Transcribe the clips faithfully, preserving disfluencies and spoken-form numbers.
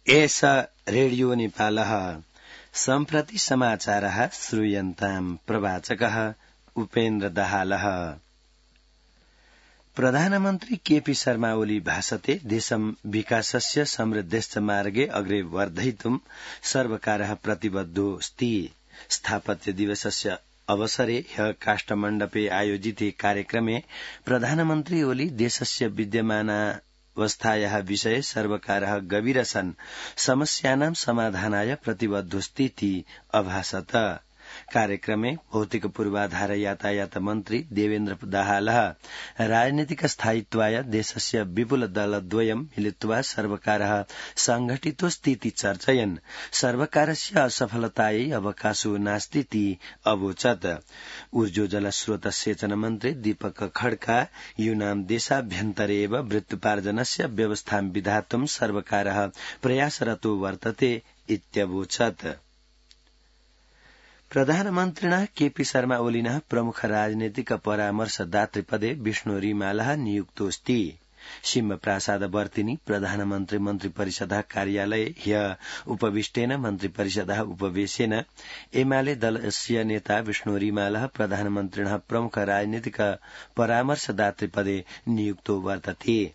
एष रेडियो नेपालः सम्प्रति समाचारः श्रूयन्ताम् प्रवाचकः उपेन्द्र दाहालः। प्रधानमन्त्री केपी शर्मा ओली भाषते देशं विकासस्य समृद्धश्च मार्गे अग्रे वर्धयितुं सर्वकारः प्रतिबद्धोऽस्ति। स्थापत्य दिवसस्य अवसरे ह्यः काष्ठमण्डपे आयोजिते कार्यक्रमे प्रधानमन्त्री ओली देशस्य विद्यमानावस्थायाः विषये सर्वकारः गभीरसन् समस्यानां समाधानाय प्रतिबद्धोऽस्तीति अभाषत। कार्यक्रमे भौतिक पूर्वाधार यातायात मन्त्री देवेन्द्र दाहालः राजनीतिक स्थायित्वाय देशस्य विपुल दलद्वयं मिलित्वा सर्वकारः संघटितोऽस्तीति चर्चयन् सर्वकारस्य असफलतायै अवकाशो नास्तीति अवोचत्। ऊर्जो जलस्रोत सेचन मन्त्री दीपक खड्का यूनां देशाभ्यन्तरे एव वृत्त्युपार्जनस्य व्यवस्थां विधातुं सर्वकारः प्रयासरतो वर्तते इत्यवोचत्। प्रधानमन्त्रिणा केपी शर्मा ओलिनः प्रमुख राजनीतिक परामर्शदातृपदे विष्णु रिमालः नियुक्तोऽस्ति। सिंहप्रासादवर्तिनि प्रधानमन्त्री मन्त्रिपरिषदः कार्यालये ह्यः उपविष्टेन मन्त्रिपरिषदः उपवेशेन एमाले दलस्य नेता विष्णु रिमालः प्रधानमन्त्रिणः प्रमुख राजनीतिक परामर्शदातृपदे नियुक्तो वर्तते।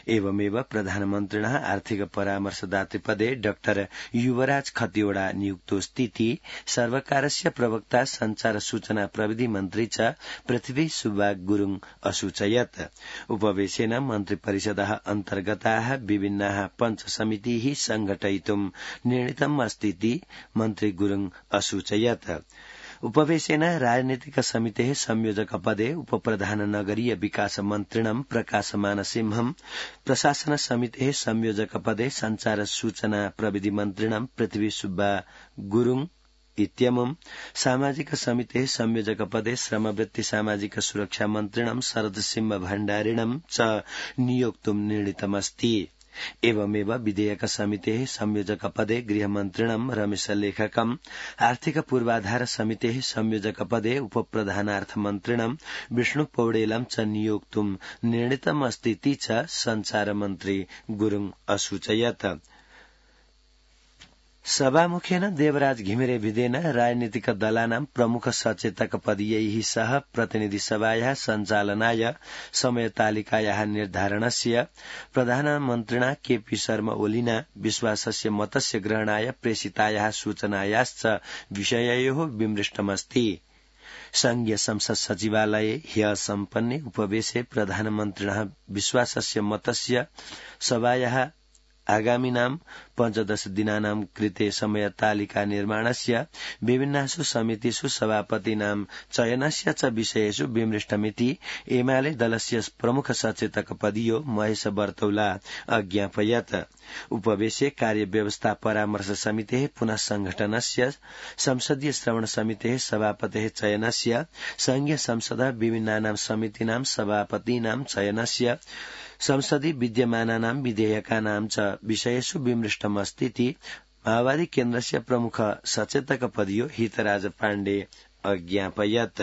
एवमेव प्रधानमन्त्रिणः आर्थिक परामर्शदातृपदे डाक्टर युवराज खतिवड़ा नियुक्तोऽस्तीति सर्वकारस्य प्रवक्ता संचार सूचना प्रविधि मन्त्री च पृथ्वी सुब्बा गुरुङ असूचयत्। उपवेशेन मन्त्रिपरिषदः अन्तर्गताः विभिन्नाः पञ्च समितिः संघटयितुं निर्णीतम् अस्तीति मन्त्री गुरुङ असूचयत्। उपवेशेन राजनीतिक समितेः संयोजक पदे उपप्रधान नगरीय विकास मन्त्रिणं प्रकाशमान सिंहं, प्रशासन समितेः संयोजक पदे संचार सूचना प्रविधि मन्त्रिणं पृथ्वी सुब्बा गुरुङ इत्यमुं, सामाजिक समितेः संयोजक पदे श्रमवृत्ति सामाजिक सुरक्षा मन्त्रिणं शरद सिंह भण्डारिणं च नियोक्तुं निर्णीतमस्ति। एवमेव विधेयक समितेः संयोजक पदे गृहमन्त्रिणं रमेश लेखकम्, आर्थिक पूर्वाधार समितेः संयोजक पदे उपप्रधानार्थ मन्त्रिणं विष्णु पौडेलं च नियोक्तुं निर्णीतमस्तीति च संचार मन्त्री गुरुङ असूचयत्। सभामुखेन देवराज घिमिरे विदेन राजनीतिक दलानां प्रमुख सचेतक पदीयैः सह प्रतिनिधि सभायाः सञ्चालनाय समयतालिकायाः निर्धारणस्य प्रधानमन्त्रिणा केपी शर्मा ओलिना विश्वासस्य मतस्य ग्रहणाय प्रेषितायाः सूचनायाश्च विषययोः विमृष्टमस्ति। संघीय संसद सचिवालये ह्यः सम्पन्ने उपवेशे प्रधानमन्त्रिणः विश्वासस्य मतस्य सभायाः आगामिनां पञ्चदश दिनानां कृते समयतालिका निर्माणस्य विभिन्नासु समितिषु सभापतीनां चयनस्य च विषयेषु विमृष्टमिति एमाले दलस्य प्रमुख सचेतक पदीयो महेश बर्तौला अज्ञापयत्। उपवेशे कार्यव्यवस्था परामर्श समितेः पुनः संघटनस्य, संसदीय श्रवण समितेः सभापतेः चयनस्य, संघीय संसदः विभिन्नानां समितीनां सभापतीनां चयनस्य, संसदि विद्यमानानां विधेयकानां च विषयेषु विमृष्टमस्तीति माओवादी केन्द्रस्य प्रमुख सचेतक पदीयो हितराज पाण्डे अज्ञापयत्।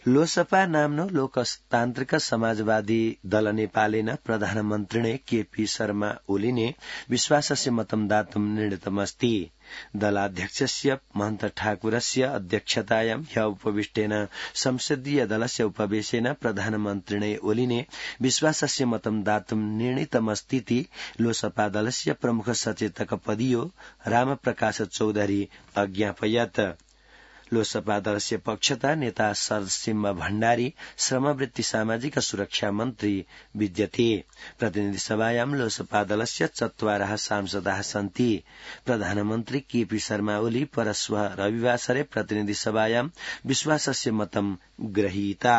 लोसपा नाम्नो लोकतान्त्रिक समाजवादी दल नेपालेन प्रधानमन्त्रिणे केपी शर्मा ओलीने विश्वासस्य मतं दातुं निर्णीतमस्ति। दलाध्यक्षस्य महन्त ठाकुरस्य अध्यक्षतायां ह्यः उपविष्टेन संसदीय दलस्य उपवेशेन प्रधानमन्त्रिणे ओलीने विश्वासस्य मतं दातुं निर्णीतमस्तीति लोसपा दलस्य प्रमुख सचेतक पदीयो रामप्रकाश चौधरी अज्ञापयत्। लोसपा दलस्य पक्षतः नेता शरद सिंह भण्डारी श्रमवृत्ति सामाजिक सुरक्षा मन्त्री विद्यते। प्रतिनिधि सभायां लोसपा दलस्य चत्वारः सांसदाः सन्ति। प्रधानमन्त्री केपी शर्मा ओली परश्वः रविवासरे प्रतिनिधि सभायां विश्वासस्य मतं गृहीता।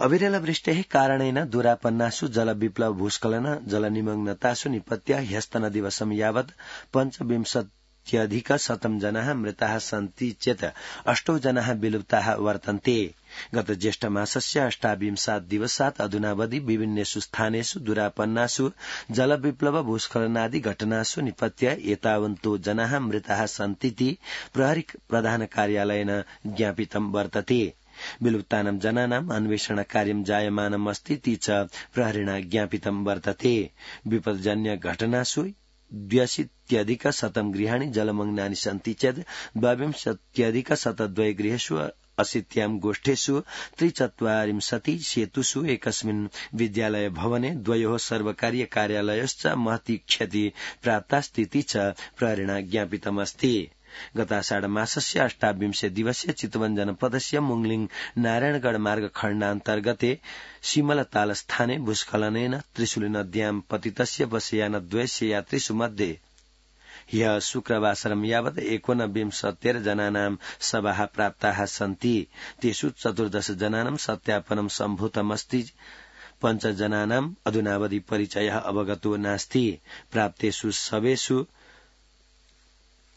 अविरल वृष्टेः कारणेन दूरापन्नासु जलविप्लव भूस्खलन जलनिमग्नतासु निपत्य ह्यस्तनदिवसं यावत् पञ्चविंशत् अधिक शतं जनाः मृताः सन्ति चेत् अष्टौ जनाः विलुप्ताः वर्तन्ते। गत ज्येष्ठ मासस्य अष्टाविंशात् दिवसात् अधुनावधि विभिन्नेषु स्थानेषु दूरापन्नासु जलविप्लव भूस्खलनादि घटनासु निपत्य एतावन्तो जनाः मृताः सन्तीति प्रहरी प्रधान कार्यालयेन ज्ञापितं वर्तते। विलुप्तानां जनानाम् अन्वेषण कार्यं जायमानम् अस्ति ती च प्रहरिणा ज्ञापितं वर्तते विपदजन्य घटनासु द्व्यशीत्यधिक शतं गृहाणि जलमग्नानि सन्ति चेत् द्वाविंशत्यधिक शतद्वय गृहेषु अशीत्यां गोष्ठेषु त्रिचत्वारिंशति सेतुषु एकस्मिन् विद्यालय भवने द्वयोः सर्वकारीय कार्यालयश्च महती क्षति प्राप्तास्तीति च प्रहरिणा ज्ञापितमस्ति गताषाढमासस्य अष्टाविंशे दिवसे चितवन जनपदस्य मुंगलिङ नारायणगढ़ मार्ग खण्डान्तर्गते सिमलतालस्थाने भूस्खलनेन त्रिशूली नद्यां पतितस्य बसयानद्वयस्य यात्रिषु मध्ये ह्यः शुक्रवासरं यावत् एकोनविंशतेर जनानां शवाः प्राप्ताः सन्ति तेषु चतुर्दश जनानां सत्यापनं सम्भूतमस्ति पञ्च जनानाम् अधुनावधि परिचयः अवगतो नास्ति प्राप्तेषु शवेषु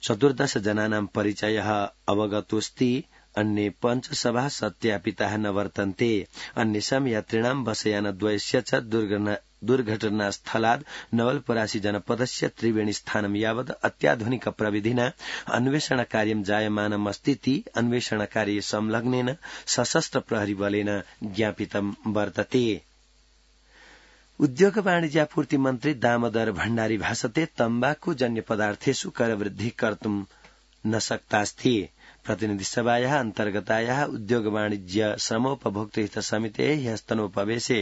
चतुर्दश जनानां परिचयः अवगतोऽस्ति अन्ये पञ्च शवाः सत्यापिताः न वर्तन्ते अन्येषां यात्रिणां बसयानद्वयस्य च दुर्घटनास्थलात् नवलपरासी जनपदस्य त्रिवेणी स्थानं यावत् अत्याधुनिक प्रविधिना अन्वेषण कार्यं जायमानमस्तीति अन्वेषणकार्ये संलग्नेन सशस्त्र प्रहरी बलेन ज्ञापितं वर्तते उद्योग वाणिज्यापूर्ति मन्त्री दामोदर भण्डारी भाषते तम्बाकू जन्य पदार्थेषु करवृद्धि कर्तुं न शक्तास्ति प्रतिनिधि सभायाः अन्तर्गतायाः उद्योग वाणिज्य श्रमोपभोक्तृहित समितेः ह्यस्तनोपवेशे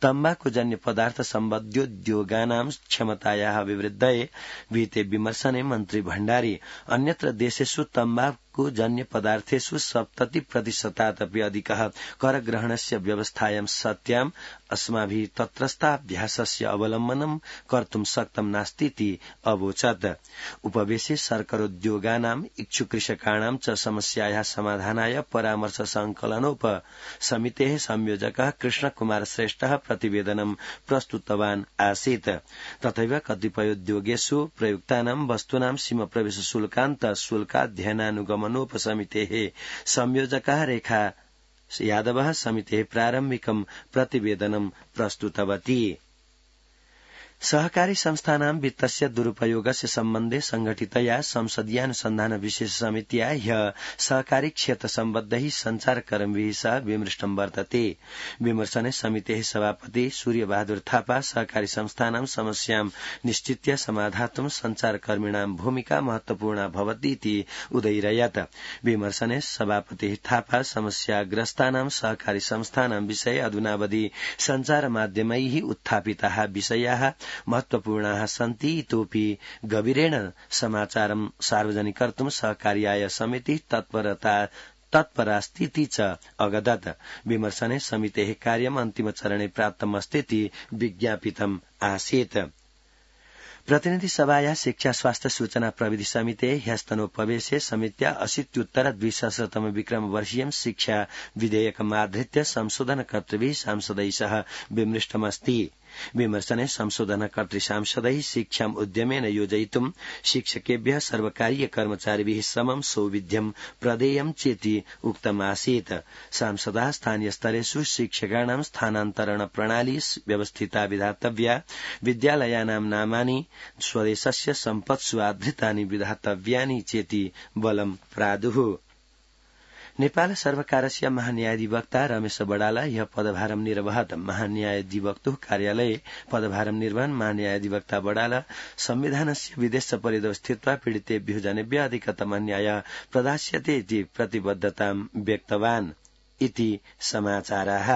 तम्बाकूजन्य पदार्थ सम्बद्योद्योगानां क्षमतायाः अभिवृद्धये विहिते विमर्शने मन्त्री भण्डारी अन्यत्र देशेषु तम्बाकूजन्य पदार्थेषु सप्तति प्रतिशतादपि अधिकः करग्रहणस्य व्यवस्थायां सत्याम् अस्माभिः तत्रस्थाभ्यासस्य अवलम्बनं कर्तुं शक्तं नास्तीति अवोचत् उपवेशे सर्करोद्योगानाम् इच्छुकृषकाणां च समस्यायाः समाधानाय परामर्श संकलनोप समितेः संयोजकः कृष्णकुमार श्रेष्ठः प्रतिवेदनं प्रस्तुतवान् आसीत् तथैव कतिपयोद्योगेषु प्रयुक्तानां वस्तूनां सीमा प्रवेश शुल्कान्त शुल्काध्ययनानुगमनोप समितेः संयोजकः रेखा यादवः समितेः प्रारम्भिकं प्रतिवेदनं प्रस्तुतवती सहकारी संस्थानां वित्तस्य दुरुपयोगस्य सम्बन्धे संघटितया संसदीयानुसन्धान विशेष समित्या ह्यः सहकारी क्षेत्र सम्बद्धैः सञ्चारकर्मिभिः सह विमृष्टं वर्तते विमर्शने समितेः सभापति सूर्यबहादुर थापा सहकारी संस्थानां समस्यां निश्चित्य समाधातुं सञ्चारकर्मिणां भूमिका महत्वपूर्णा भवतीति उदयिरयत् विमर्शने सभापतिः थापा समस्याग्रस्तानां सहकारी संस्थानां विषये अधुनावधि सञ्चारमाध्यमैः उत्थापिताः विषयाः महत्वपूर्णाः सन्ति इतोऽपि गभीरेण समाचारं सार्वजनिकर्तुं सहकार्याय समितिः तत्परता तत्परास्तीति च अगदत् विमर्शने समितेः कार्यम् अन्तिमचरणे प्राप्तमस्तीति विज्ञापितम् आसीत् प्रतिनिधि सभाया शिक्षा स्वास्थ्य सूचना प्रविधि समिते ह्यस्तनोपवेशे समित्या अशीत्युत्तर द्विसहस्रतम विक्रम वर्षीयं शिक्षा विधेयकमाधृत्य संशोधनकर्तृभिः सांसदैः सह विमृष्टमस्ति विमर्शने संशोधनकर्तृ सांसदैः शिक्षाम् उद्यमेन योजयितुं शिक्षकेभ्यः सर्वकारीय कर्मचारिभिः समं सौविध्यं प्रदेयं चेति उक्तमासीत् सांसदाः स्थानीयस्तरेषु शिक्षकाणां स्थानान्तरण प्रणाली व्यवस्थिता विधातव्या विद्यालयानां नामानि स्वदेशस्य सम्पत्सु आधृतानि विधातव्यानि चेति बलं प्रादुः नेपाल सर्वकारस्य महान्यायाधिवक्ता रमेश बडाला ह्यः पदभारं निर्वहत् महान्यायाधिवक्तुः कार्यालये पदभारं निर्वहन् महान्यायाधिवक्ता बडाला संविधानस्य विदेश परितः स्थित्वा पीडितेभ्यः जनेभ्यः अधिकतम न्यायः प्रदास्यते इति प्रतिबद्धतां व्यक्तवान् इति समाचाराः।